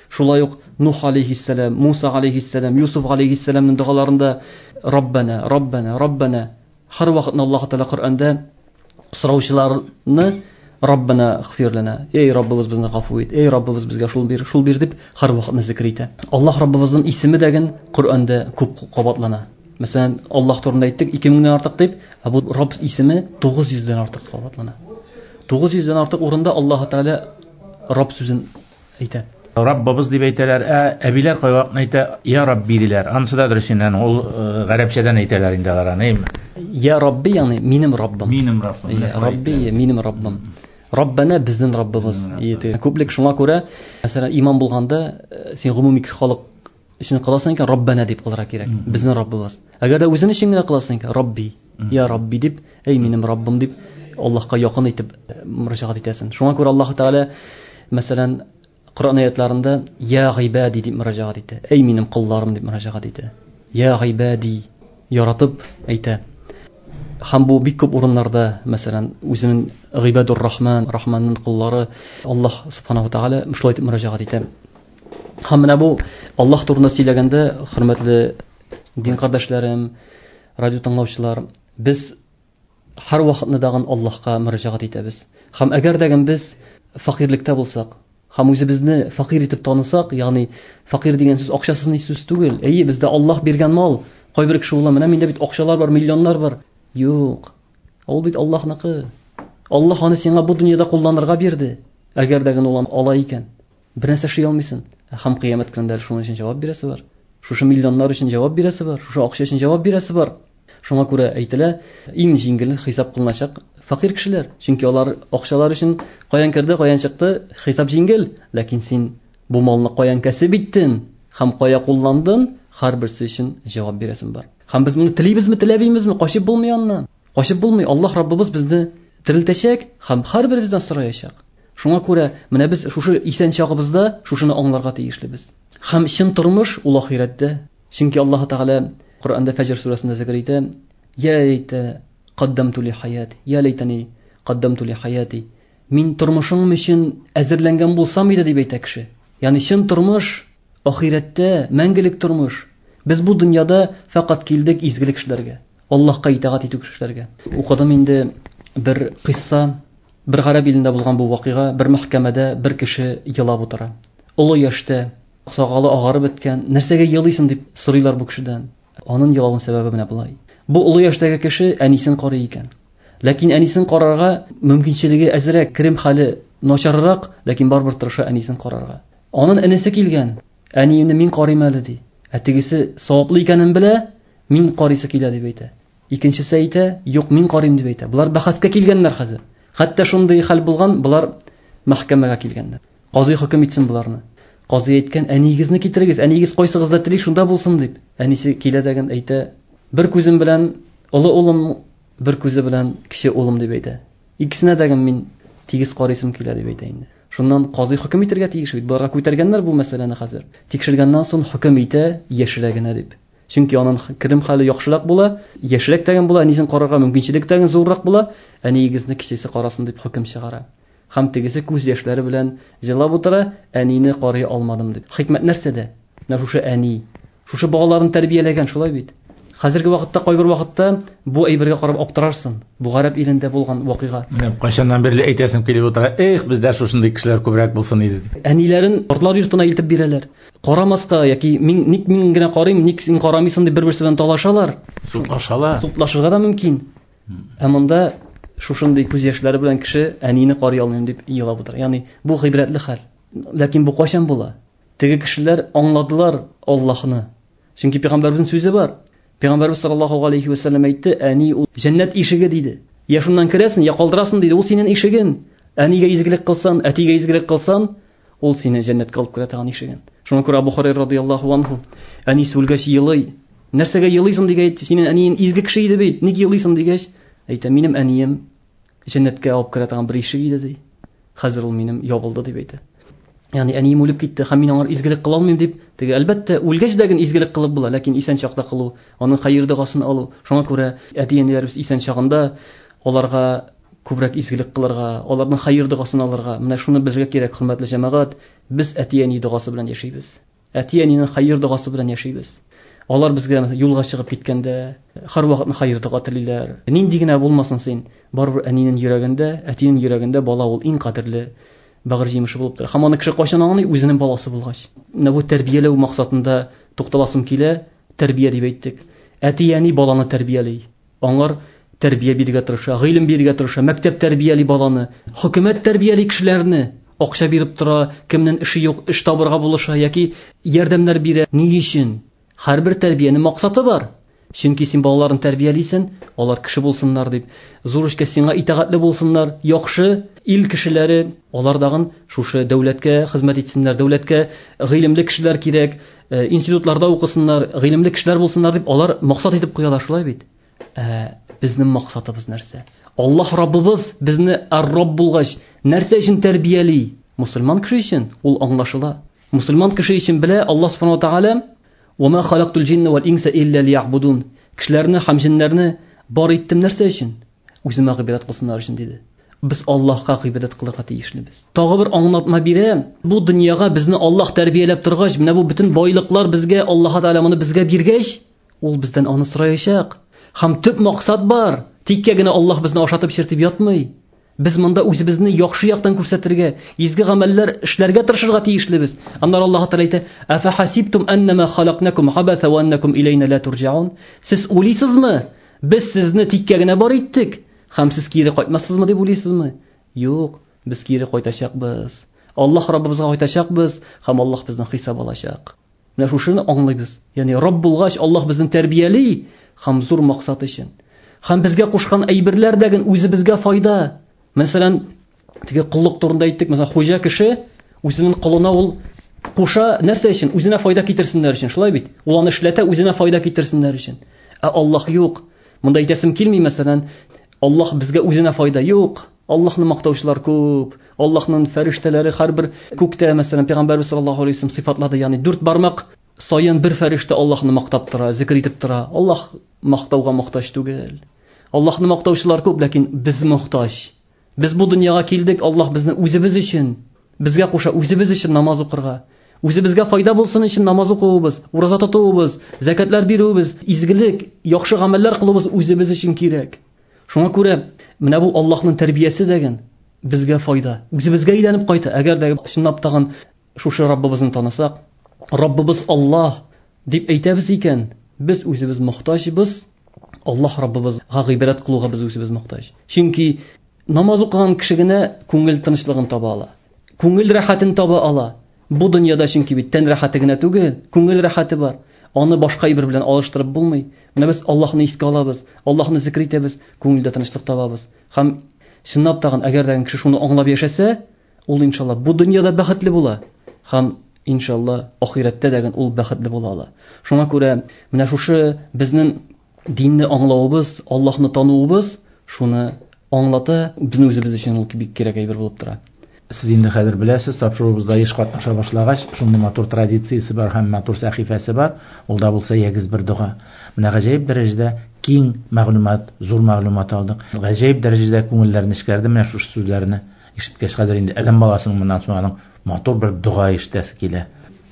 Шулай ук Нух алейхиссалам, Муса алейхиссалам, Юсуф алейхиссаламның догаларында Раббана, Раббана, Раббана һәр вакытны Аллаһ Тәгалә Коръәндә сораучыларны Раббана гфир лана. Эй Раббыбыз, безне гафу ит. Эй Раббыбыз, безгә шул бир, шул бир дип һәр вакытны зикр итә. Аллаһ Раббыбызның исеме дәген Коръәндә күп кабатлана. Мәсәлән, Аллаһ турында әйттек 2000-дән артык дип, ә бу Рабб исеме 900-дән артык кабатлана. 900-дән артык урында Аллаһ Тәгалә Рабб сүзен әйтә. Раббыбыз дип әйтәләр, ә әбиләр кайвакытны әйтә, я Рабби диләр. Анысы да дөрес инде, ул гарәпчәдән әйтәләр инде алар аны. Я Рабби, ягъни минем Раббым. Минем Раббым. Я Рабби, минем Раббым. Раббана безнең Раббыбыз. Күплек шуңа күрә, мәсәлән, имам булганда, син гомуми халык өчен кыласың икән, Раббана дип кылырга кирәк. Безнең Раббыбыз. Әгәр дә үзең өчен генә кыласың икән, Рабби, я Рабби дип, эй минем Раббым дип Аллаһка якын итеп мөрәҗәгать итәсең. Шуңа күрә Аллаһ Тәгалә, мәсәлән, Коръән аятларында я гыйбади дип мөрәҗәгать итә. Эй минем колларым дип мөрәҗәгать итә. Я гыйбади яратып әйтә. Һәм бу бик күп урыннарда, мәсәлән, үзенең гыйбадур рахман, рахманның коллары Аллаһ субханаху тәгалә шулай итеп мөрәҗәгать итә. Һәм менә бу Аллаһ турында сөйләгәндә, хөрмәтле дин кардәшләрем, радио тыңлаучылар, без һәр вакытны дагын Аллаһка мөрәҗәгать итәбез. Һәм әгәр дә без фәкыйрьлектә булсак, һәм үзебезне фәкыйрь итеп танысак, ягъни фәкыйрь дигән сүз акчасыз ни сүз түгел. Әйе, бездә Аллаһ биргән мал. Кайбер кеше уйлый, менә миндә бит акчалар бар, миллионнар бар. Юк. Ул бит Аллаһныкы. Аллаһ аны сиңа бу дөньяда кулланырга бирде. Әгәр дә генә ул ала икән, бер нәрсә эшли алмыйсың. Һәм кыямәт көнендә шуның өчен җавап бирәсе бар. Шушы миллионнар өчен җавап бирәсе бар, шушы акча өчен җавап бирәсе бар. Шуңа күрә әйтелә, иң җиңел хисап кылыначак фәкыйрь кешеләр. Чөнки алар акчалар өчен каян керде, каян чыкты, хисап җиңел. Ләкин син бу малны каян кәсеп иттең һәм кая кулландың, һәрберсе өчен җавап бирәсең бар. Һәм без моны телибезме, теләмибезме, качып булмый аннан. Качып булмый. Аллаһ Раббыбыз безне терелтәчәк һәм һәрберебездән сораячак. Шуңа күрә менә без шушы исән чагыбызда шушыны аңларга тиешлебез. Һәм чын тормыш ул ахирәттә. Чөнки Аллаһ Тәгалә Коръәндә Фәҗр сүрәсендә зикр итә: "Я лейта каддамту ли хаяти, я лейтани каддамту ли хаяти". Мин тормышым өчен әзерләнгән булсам иде дип әйтә кеше. Ягъни чын тормыш ахирәттә, мәңгелек тормыш. Без бу дөньяда фәкать килдек изгелек эшләргә, Аллаһка итагать итү эшләргә. Укыдым инде бер кыйсса, бер гарәп илендә булган бу вакыйга, бер мәхкәмәдә бер кеше елап утыра. Олы яшьтә, сакалы агарып беткән. Нәрсәгә елыйсың дип сорыйлар бу кешедән. Аның елавының сәбәбе менә болай. Бу олы яшьтәге кеше әнисен карый икән. Ләкин әнисен карарга мөмкинчелеге әзрәк, керем хәле начаррак, ләкин барыбер тырыша әнисен карарга. Аның энесе килгән. Әниемне мин карыйм әле ди. Ә тегесе саваплы икәнен белә, Мин карыйсы килә дип әйтә. Икенчесе әйтә, юк, мин карыйм дип әйтә. Болар бәхәскә килгәннәр хәзер. Хәтта шундый хәл булган, болар мәхкәмәгә килгәннәр. Казый хөкем итсен боларны. Казый әйткән, әниегезне китерегез, әниегез кайсыгызда тели, шунда булсын дип. Әнисе килә дәген әйтә, бер күзем белән олы улым, бер күзе белән кече улым дип әйтә. Икесенә дәген мин тигез карыйсым килә дип әйтә инде. Шуннан казый хөкем итәргә тиеш бит. Боларга күтәргәннәр бу мәсьәләне хәзер. Тикшергәннән соң хөкем итә яшьрәгенә дип. Чөнки аның керем хәле яхшырак була, яшьрәк тәген була, әнисен карарга мөмкинчелек тәген зуррак була, әниегезне кечесе карасын дип хөкем чыгара. Һәм тегесе күз яшьләре белән җылап утыра, әнине карый алмадым дип. Хикмәт нәрсәдә? Менә шушы әни, шушы балаларын тәрбияләгән, шулай бит. Хәзерге вакытта кайбер вакытта бу әйбергә карап аптырарсың. Бу гарәп илендә булган вакыйга. Менә кайчаннан бирле әйтәсем килеп утыра, эх, бездә шушындый кешеләр күбрәк булсын иде дип. Әниләрен картлар йортына илтеп бирәләр. Карамаска яки мин ник мин генә карыйм, ник син карамыйсың дип бер-берсе белән талашалар. Судлашалар. Судлашырга да мөмкин. Ә монда шушындый күз яшьләре белән кеше әнине карый алмыйм дип елап утыра. Ягъни бу гыйбрәтле хәл. Ләкин бу кайчан була? Теге кешеләр аңладылар Аллаһны. Чөнки пәйгамбәребезнең сүзе бар. Пәйгамбәребез саллаллаһу алейхи ва саллям әйтте, әни ул җәннәт ишеге диде. Я шуннан керәсең, я калдырасың диде. Ул синең ишеген. Әнигә изгелек кылсан, әтигә изгелек кылсан, ул сине җәннәткә алып керә торган ишеген. Шуңа күрә Абу Хурайра радияллаһу анху әнисе үлгәч елый. Нәрсәгә елыйсың дигәч, синең әниең изге кеше иде бит, ник елыйсың дигәч, әйтә, минем әнием җәннәткә алып керә торган бер ишек иде ди. Хәзер ул минем ябылды дип әйтә. Ягъни әнием үлеп китте һәм мин аңар изгелек кыла алмыйм дип, теге әлбәттә үлгәч дә генә изгелек кылып була, ләкин исән чакта кылу, аның хәер догасын алу. Шуңа күрә әти-әниләребез исән чагында аларга күбрәк изгелек кылырга, аларның хәер догасын алырга. Менә шуны белергә кирәк, хөрмәтле җәмәгать, без әти-әни догасы белән яшибез. Әти-әнинең хәер догасы белән яшибез. Алар безгә юлга чыгып киткәндә һәрвакытны хәер дога телиләр. Нинди генә булмасын син, барыбер әнинең йөрәгендә, әтинең йөрәгендә бала ул иң кадерле бәгырь җимеше булып тора. Һәм аны кеше кайчан аңлый? Үзенең баласы булгач. Менә бу тәрбияләү максатында тукталасым килә. Тәрбия дип әйттек. Әти-әни баланы тәрбияли. Аңар тәрбия бирергә тырыша, гыйлем бирергә тырыша, мәктәп тәрбияли баланы, хөкүмәт тәрбияли кешеләрне, акча биреп тора, кемнең эше юк, эш табырга булыша яки ярдәмнәр бирә. Ни өчен? Һәрбер тәрбиянең максаты бар. Чөнки син балаларын тәрбиялисең, алар кеше булсыннар дип, зур эшкә сиңа итагатьле булсыннар, яхшы ил кешеләре, алар дагын шушы дәүләткә хезмәт итсеннәр, дәүләткә гыйлемле кешеләр кирәк, институтларда укысыннар, гыйлемле кешеләр булсыннар дип алар максат итеп куялар, шулай бит? Безнең максатыбыз нәрсә? Аллаһ Раббыбыз безне ар-Рабб булгач, нәрсә өчен тәрбияли? Мусульман кеше өчен ул аңлашыла. Мусульман кеше өчен белә Аллаһ субхана ва тааля: "Ва ма халактул джинна вал инса илля лиябудун". Кешеләрне һәм җиннәрне бар иттем нәрсә өчен? Үземә гыйбадәт кылсыннар өчен диде. Без Аллаһка гыйбадәт кылырга тиешлебез. Тагы бер аңлатма бирә. Бу дөньяга безне Аллаһ тәрбияләп торгач, менә бу бөтен байлыклар безгә Аллаһ Тааля моны безгә биргәч, ул бездән аны сораячак. Һәм төп максат бар. Тиккә генә Аллаһ безне ашатып эчертеп ятмый. Без монда үзебезне яхшы яктан күрсәтергә, изге гамәлләр эшләргә тырышырга тиешлебез. Аннары Аллаһ Тәгалә әйтә: "Афахасибтум аннама халакнакум абаса ва аннакум илейна ла турҗаун?" Сез уйлыйсызмы? Без сезне тиккә генә бар иттек, һәм сез кире кайтмассызмы дип уйлыйсызмы? Юк, без кире кайтачакбыз. Аллаһ Раббыбызга кайтачакбыз, һәм Аллаһ бездән хисап алачак. Менә шушыны аңлыйбыз. Ягъни Рабб булгач, Аллаһ безне тәрбияли һәм зур максат өчен. Һәм безгә кушкан әйберләр дә үзебезгә файда. Мәсәлән, теге коллык турында әйттек, мәсәлән, хуҗа кеше үзенең колына ул куша нәрсә өчен? Үзенә файда китерсеннәр өчен, шулай бит? Ул аны эшләтә, үзенә файда китерсеннәр өчен. Ә Аллаһ юк. Монда әйтәсем килми, мәсәлән, Аллаһ безгә үзенә файда юк. Аллаһны мактаучылар күп. Аллаһның фәрештәләре һәрбер күктә, мәсәлән, Пәйгамбәрбез саллаллаһу алейһи вәсәлләм сыйфатлады, ягъни дүрт бармак саен бер фәрештә Аллаһны мактап тора, зикр итеп тора. Аллаһ мактауга мохтаҗ түгел. Аллаһны мактаучылар күп, ләкин без мохтаҗ. Без бу дөньяга килдек, Аллаһ безне үзебез өчен, безгә куша үзебез өчен намаз укырга. Үзебезгә файда булсын өчен намаз укуыбыз, ураза тотуыбыз, зәкәтләр бирүебез, изгелек, яхшы гамәлләр кылуыбыз үзебез өчен кирәк. Шуңа күрә менә бу Аллаһның тәрбиясе дигән безгә файда. Үзебезгә әйләнеп кайта. Әгәр дә чынлап тагын шушы Раббыбызны танысак, Раббыбыз Аллаһ дип әйтәбез икән, без үзебез мохтаҗбыз. Аллаһ Раббыбызга гыйбадәт кылуга без үзебез мохтаҗ. Чөнки намаз укыган кеше генә күңел тынычлыгын таба ала. Күңел рәхәтен таба ала. Бу дөньяда чөнки бит тән рәхәте генә түгел, күңел рәхәте бар. Аны башка әйбер белән алыштырып булмый. Менә без Аллаһны искә алабыз, Аллаһны зикр итәбез, күңелдә тынычлык табабыз. Һәм чынлап тагын, әгәр дә кеше шуны аңлап яшәсә, ул иншалла бу дөньяда бәхетле була һәм иншалла ахирәттә дә ул бәхетле була ала. Шуңа күрә менә шушы безнең динне аңлавыбыз, Аллаһны тануыбыз шуны аңлата, безнең үзебез өчен ул бик кирәк әйбер булып тора. Сез инде хәзер беләсез, тапшыруыбызда еш катнаша башлагач, шундый матур традициясе бар һәм матур сәхифәсе бар. Ул да булса ягез бер дога. Менә гаҗәеп дәрәҗәдә киң мәгълүмат, зур мәгълүмат алдык. Гаҗәеп дәрәҗәдә күңелләр нечкәрде менә шушы сүзләрне ишеткәч. Хәзер инде адәм баласының моннан соң аның матур бер дога ишетәсе килә.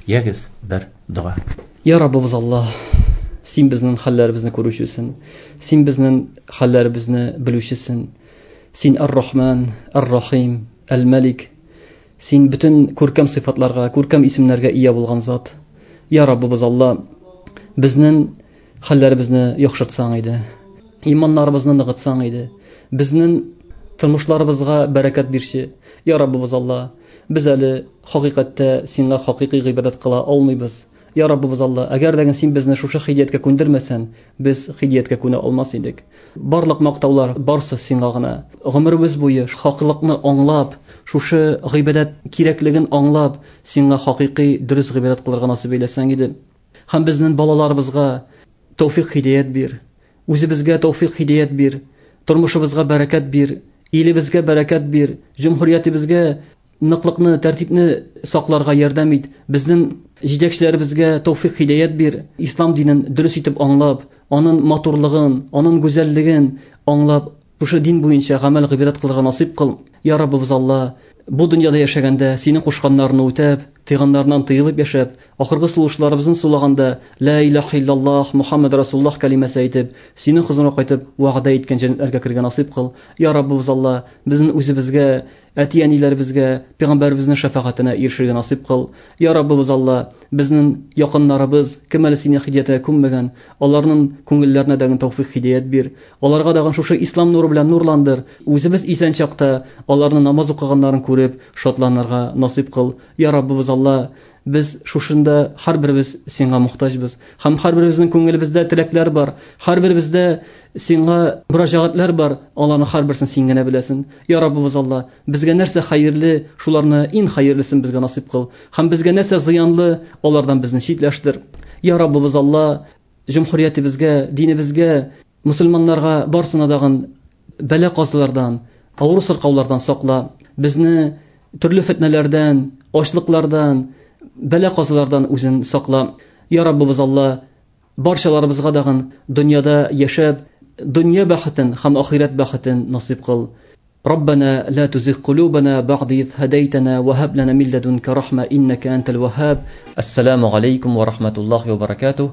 Ягез бер дога. Я Раббыбыз Аллаһ, син безнең хәлләребезне күрүчесең, син безнең хәлләребезне белүчесең. Син Ар-Рахман, Ар-Рахим, Әл-Мәлик. Син бөтен күркәм сыйфатларга, күркәм исемнәргә ия булган зат. Я Раббыбыз Алла, безнең хәлләребезне яхшыртсаң иде, иманнарыбызны ныгытсаң иде, безнең тормышларыбызга бәрәкәт бирче. Я Раббыбыз Алла, без әле хакыйкатьтә сиңа хакыйкый гыйбадәт кыла алмыйбыз. Я Раббыбыз Алла, әгәр дә син безне шушы хидияткә күндермәсән, без хидияткә күнә алмас идек. Барлык мактаулар барсы сиңа гына. Гомеребез буе хаклыкны аңлап, шушы гыйбадәт кирәклеген аңлап, сиңа хакыйкый дөрес гыйбадәт кылырга насыйп әйләсәң иде. Һәм безнең балаларыбызга тәүфик хидият бир. Үзебезгә тәүфик хидият бир. Тормышыбызга бәрәкәт бир. Илебезгә бәрәкәт бир. Җөмһүриятебезгә ныклыкны, тәртипне сакларга ярдәм ит. Безнең җитәкчеләребезгә тәүфик хидият бир. Ислам динен дөрес итеп аңлап, аның матурлыгын, аның гүзәллеген аңлап, шушы дин буенча гамәл гыйбадәт кылырга насыйп кыл. Я Раббыбыз Алла, бу дөньяда яшәгәндә синең кушканнарны үтәп, тыйганнарыннан тыелып яшәп, ахыргы сулышларыбызны сулаганда ла илаһа иллаллаһ Мухаммад Расулуллаһ кәлимәсе әйтеп, синең хозурыңа кайтып, вәгъдә иткән җәннәтләргә керергә насыйп кыл. Я Раббыбыз Алла, безнең үзебезгә, әти-әниләребезгә, пәйгамбәребезнең шәфәгатенә ирешергә насыйп кыл. Я Раббыбыз Алла, безнең якыннарыбыз, кем әле сине хидиятенә күнмәгән, аларның күңелләренә дә тәүфик хидият бир. Аларга да шушы ислам нуры белән нурландыр. Үзебез исән чакта аларны намаз укыганнарын күреп, шатланырга насыйп кыл. Я Раббыбыз Алла, без шушында һәрберебез сиңа мохтаҗбыз. Һәм һәрберебезнең күңелебездә теләкләр бар. Һәрберебездә сиңа мөрәҗәгатьләр бар. Аларның һәрберсен син генә беләсең. Я Раббыбыз Алла, безгә нәрсә хәерле, шуларны иң хәерлесен безгә насыйп кыл. Һәм безгә нәрсә зыянлы, алардан безне читләштер. Я Раббыбыз Алла, җөмһүриятебезгә, динебезгә, мусульманнарга барсына дагын бәла-казалардан, авыру сыркаулардан сакла. Безне төрле фитнәләрдән, ачлыклардан, бәла-казалардан үзен сакла. Я Раббыбыз Алла, барчаларыбызга дагын дөньяда яшәп, дөнья бәхетен һәм ахирәт бәхетен насыйп кыл. ربنا لا تزغ قلوبنا بعد إذ هديتنا وهب لنا من لدنك رحمة إنك أنت الوهاب. السلام عليكم ورحمة الله وبركاته.